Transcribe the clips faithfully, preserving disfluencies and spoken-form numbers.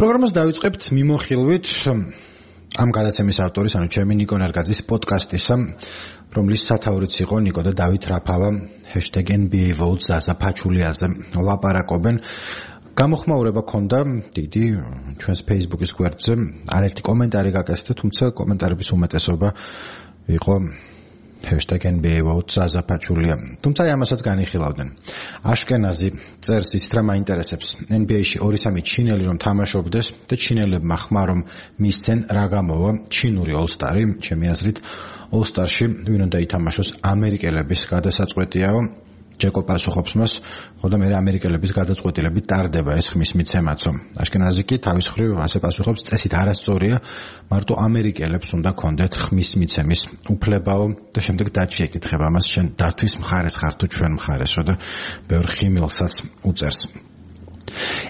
პროგრამას დავიწყებთ მიმოხილვით ამ გადაცემის ავტორის, ანუ ჩემი ნიკო ნერგაძის პოდკასტისა, რომლის სათაურიც იყო ნიკო და დავით რაფავა hashtag N B A votes ზაზა ფაჩულიაზე ლაპარაკობენ. გამოხმაურება ქონდა დიდი ჩვენს Facebook-ის გვერდზე, არაერთი კომენტარი გაკეთდა, თუმცა კომენტარების უმეტესობა იყო hashtag N B A votes ზაზა ფაჩულია. თუმცა ამასაც განიხილავდნენ. აშკენაზი წერს იცით რა მაინტერესებს. N B A-ში ორი სამი ჩინელი რომ თამაშობდეს და ჩინელებმა ხმა რომ მისცენ რა გამოვა ჩინური All-Star-ი, ჩემი აზრით All-Star-ში ვინ უნდა ითამაშოს ამერიკელების გადასაწყვეტიაო. ჯეკო პასუხობს მას, ხო და მე ამერიკელების გადაწყვეტილებით ტარდება ეს ხმის მიცემაცო. აშკენაზი კი თავის მხრივ ასე პასუხობს, წესით არასწორია, მარტო ამერიკელებს უნდა კონდეთ ხმის მიცემის უფლებაო და შემდეგ დათში ეკითხება მას, შენ დათვის მხარეს ხარ თუ ჩვენ მხარესო და ბევრ ხიმილსაც უწერს.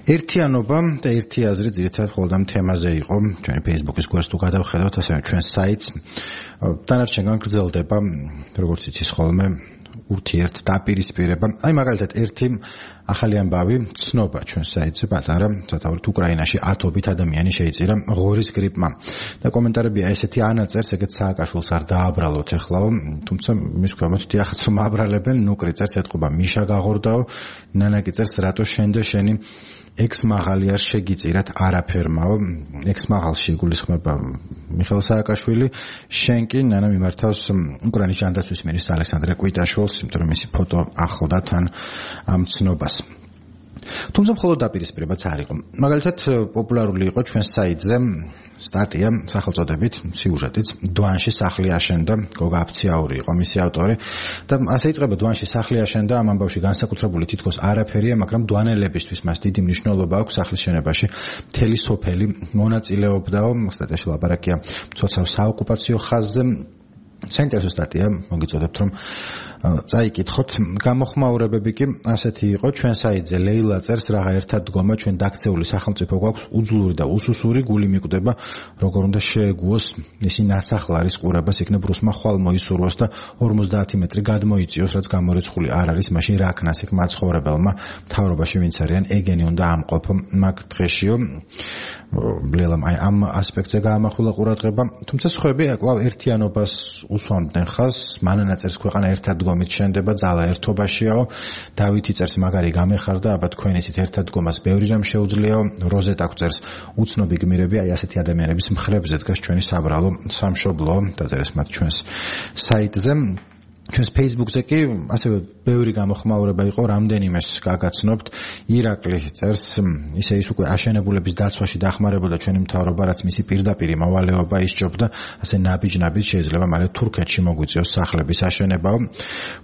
ერთიანობა და ერთი აზრი ძირითადად ხოლმე ამ თემაზე იყო, ჩვენი Facebook-ის გვერდს თუ გადავხედავთ, ასევე ჩვენ საიტს, დანარჩენგან გრძელდება, როგორც იცის ხოლმე ურთიერთ დაპირისპირება. აი მაგალითად ერთი ახალი ამბავი ცნობა ჩვენ საიტზე პატარა, სათაურით უკრაინაში ათობით ადამიანი შეიწირა ღორის გრიპმა. და კომენტარებია ესეთი ანაწერს, ეგეც სააკაშვილს არ დააბრალოთ ეხლაო, თუმცა მის ქვემოთ დიახაც რომ აბრალებენ, ნუკრი წერს ეთყობა მიშა გაღორდაო, ნანა კი წერს რატო შენ და შენი ექს მაღალი არ შეგიწირათ არაფერმაო, ექს მაღალში იგულისხმება მიხეილ სააკაშვილი, შენ კი ნანა მიმართავს უკრაინის ჯანდაცვის მინისტრ ალექსანდრე კვიტაშვილს, იმიტომ რომ მისი ფოტო ახლდა თან ამ ცნობას. თუმცა მხოლოდ დაპირისპირებაც არ იყო. მაგალითად პოპულარული იყო ჩვენ საიტზე სტატია სახელწოდებით სიუჟეტიც დვანში სახლი აშენდა, გოგა აფციაური იყო მისი ავტორი და ასე იწყება დვანში სახლი აშენდა, ამ ამბავში განსაკუთრებული თითქოს არაფერია, მაგრამ დვანელებისთვის მას დიდი მნიშვნელობა აქვს სახლის შენობაში. მთელი სოფელი მონაწილეობდაო, სტატიაში ლაპარაკია მცოცავ საოკუპაციო ხაზზე. საინტერესო სტატია, მოგიწოდებთ რომ წაიკითხოთ. გამოხმაურებები კი ასეთი იყო, ჩვენ საიტზე ლეილა წერს რაღა ერთად დგომა, ჩვენ დაქცეული სახელმწიფო გვაქვს უძლური და უსუსური, გული მიკვდება, როგორ უნდა შეეგუოს ისი ნასახლარის ყურებას, იქნებ რუსმა ხვალ მოისურვოს და ორმოცდაათი მეტრი გადმოიწიოს, რაც გამორიცხული არ არის, მაშინ რა ქნას იქ მაცხოვრებელმა, მთავრობაში ვინც არიან, ეგენი უნდა ამყოფო მაგ დღეშიო. ლელამ აი ამ ასპექტზე გაამახვილა ყურადღება, თუმცა სხვები კვლავ ერთიანობას უსვამდნენ ხაზს, მანანა წერს ქვეყანა ერთად დგომით შენდება, ძალა ერთობაშიაო, დავითი წერს მაგარი გამეხარდა, აბა თქვენ ისეთ ერთად დგომას ბევრი რამ შეუძლიაო, როზეტა წერს უცნობი გმირები, აი ასეთი ადამიანების მხრებზე დგას ჩვენი საბრალო სამშობლო, დაწერეს მათ ჩვენს საიტზე. ჩვენს Facebook-ზე კი ასევე ბევრი გამოხმაურება იყო, რამდენიმეს გაგაცნობთ. ირაკლი წერს, ისე ის უკვე აშენებულების დაცვაში დახმარებოდა ჩვენი მთავრობა, რაც მისი პირდაპირი მოვალეობა ისჯობდა, ასე ნაბიჯ-ნაბიჯ შეიძლება მალე თურქეთში მოგვიწიოს სახლების აშენებაო.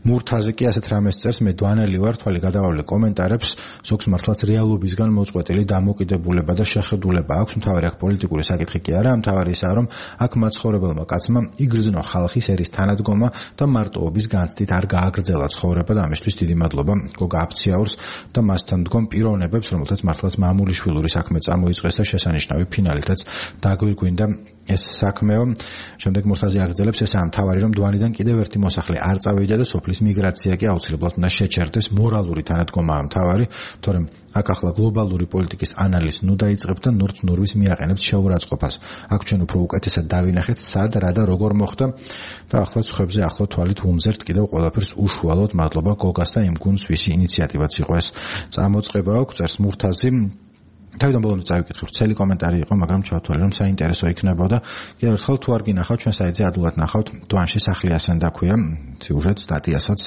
მურთაზე კი ასეთ რამეს წერს, მე დვანელი ვარ, თვალი გადავავლე კომენტარებს, ზოგს მართლაც რეალობისგან მოწყვეტილი დამოკიდებულება და შეხედულება აქვს, მთავარი აქ პოლიტიკური საკითხი კი არა, მთავარი ისაა, რომ აქ მაცხოვრებელმა კაცმა იგრძნო ხალხის ერის თანადგომა და მარტოობის განცდით არ გააგრძელა ცხოვრება და ამისთვის დიდი მადლობა გოგა აფციაურს და მასთან დგომ პიროვნებებს, რომელთაც მართლაც მამულიშვილური საქმე წამოიწყეს და შესანიშნავი ფინალითაც დაგვირგვინდა ეს საქმეო. შემდეგ მურთაზე აგრძელებს, ესაა მთავარი, რომ დვანიდან კიდევ ერთი მოსახლე არ წავიდა და სოფლის მიგრაცია კი აუცილებლად უნდა შეჩერდეს, მორალური თანადგომაა მთავარი, თორემ აქ ახლა გლობალური პოლიტიკის ანალიზს ნუ დაიწყებთ და ნურთ ნურვის მიაყენებთ შეურაცხყოფას. აქ ჩვენ უფრო უკეთესად დავინახეთ, სად, რა და როგორ მოხდა და ახლა ცხებზე ახლო თვალით უმზერთ კიდევ ყველაფერს უშუალოდ. მადლობა გოგას და იმ გუნდს, ვისი ინიციატივაც იყო ეს წამოწყება აქვს, წერს მურთაზი. თავიდან ბოლომდე წავიკითხეთ, ცელი კომენტარი იყო, მაგრამ ჩავთვალე რომ საინტერესო იქნებოდა. კიდევ ერთხელ თუ არ გინახავთ, ჩვენ საიტზე ადვილად ნახავთ, დვანში სახლი ასენდა ქვია სიუჟეტ სტატიასაც,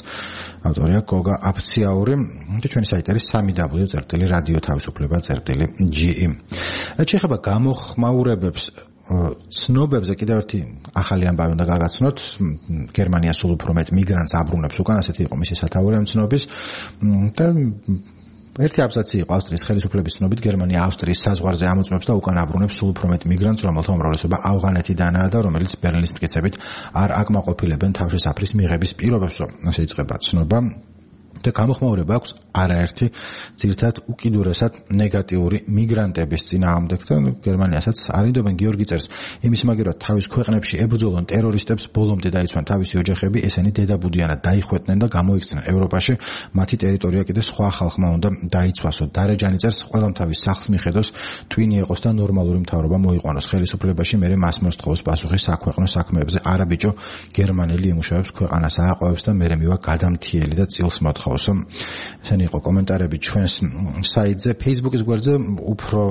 ავტორია გოგა აფციაური და ჩვენი საიტი არის სამი დაბლიუ წერტილი რადიო თავისუფლება წერტილი ჯი ი. რაც შეეხება გამოხმაურებებს, ცნობებზე კიდევ ერთი ახალი ამბავი უნდა გაგაცნოთ. გერმანია სულ უფრო მეტ მიგრანტს აბრუნებს უკან, ასეთი იყო მისი სათაური ამ ცნობის და ერთი აბზაცი იყო ავსტრიის ხელისუფლების ცნობით, გერმანია ავსტრიის საზღვარზე ამოწმებს და უკან აბრუნებს სულ უფრო მეტ მიგრანტს, რომელთა უმრავლესობა ავღანეთიდანაა და რომელიც ბერლინის მტკიცებით არ აკმაყოფილებენ თავშესაფრის მიღების პირობებს. ასე იწყება ცნობა. და გამოხმაურება აქვს არაერთი ძირითადად უკიდურესად ნეგატიური მიგრანტების წინააღმდეგ და გერმანიასაც არინდობენ. გიორგი წერს, იმის მაგერად თავის ქვეყნებში ებრძოლონ ტერორისტებს, ბოლომდე დაიცვან თავისი ოჯახები, ესენი დედაბუდიანად დაიხვეწნენ და გამოიქცნენ ევროპაში, მათი ტერიტორია კიდე სხვა ხალხმა უნდა დაიცვასო. დარეჯანი წერს, ყველამ თავის სახლს მიხედოს, twin იყოს და ნორმალური მთავრობა მოიყვანოს ხელისუფლებაში, მერე მას მოსთხოვოს პასუხი საქვეყნო საქმეებზე. არა ბიჭო, გერმანელი იმუშავებს ქვეყანას ააყვევს და მერე მივა გადამთიელი და წილს მოთხოვს. ესენი იყო კომენტარები ჩვენს საიტზე. Facebook-ის გვერდზე უფრო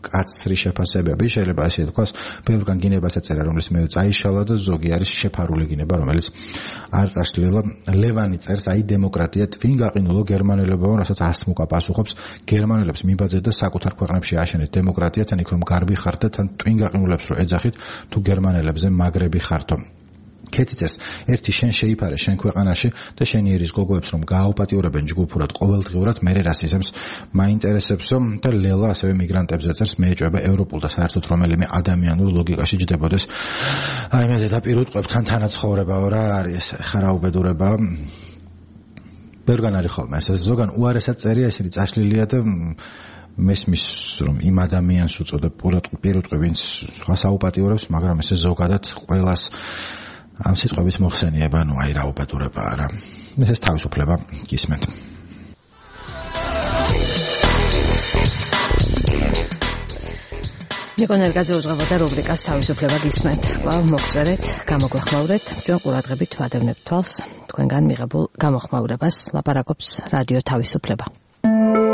კაცრი შეფასებები, შეიძლება ასე თქვას, ბევრგან გინებას ეწერა, რომელიც მე წაიშალა და ზოგი არის შეფარული გინება, რომელიც არ წაშლილა. ლევანი წერს, აი დემოკრატია twin გაყინულო გერმანელებმა, რასაც ასმუკა პასუხობს, გერმანელებს მიბაძეთ და საკუთარ ქვეყნებში აშენეთ დემოკრატია, თან იქ რომ გარბი ხართ და თან twin გაყინულებს რო ეძახით, თუ გერმანელებზე მაგრები ხართო. ქეთი წერს, ერთი შენ შეიფარე შენ ქვეყანაში და შენი ერის გოგოებს რომ გააუპატიურებენ ჯგუფურად ყოველდღიურად, მერე რასიზმს მაინტერესებსო. და ლელა ასევე მიგრანტებზე წერს, მე ეჭვება ევროპულ და საერთოდ რომელიმე ადამიანურ ლოგიკაში ჯდებოდეს. აი მე დედაპირ უტყვებთან თანაცხოვრება რა არის ხარაუბედურება. ბევრგან არის ხოლმე ეს ზოგან უარესად წერია, ესენი წაშლილია და მესმის რომ იმ ადამიანს უწოდებ პირუტყვი, ვინც სხვას აუპატიურებს, მაგრამ ესე ზოგადად ყველას ამ სიტყვების მოხსენიება, ნუ აი რა უბედურება არა. ეს თავისუფლება გისმენთ. ნიკო ნერგაძე უძღვებოდა რუბრიკას თავისუფლება გისმენთ. კვლავ მოგწერეთ, გამოგვეხმაურეთ, ჩვენ ყურადღებით ვადევნებთ თვალს თქვენგან მიღებულ გამოხმაურებას. ლაპარაკობს რადიო თავისუფლება.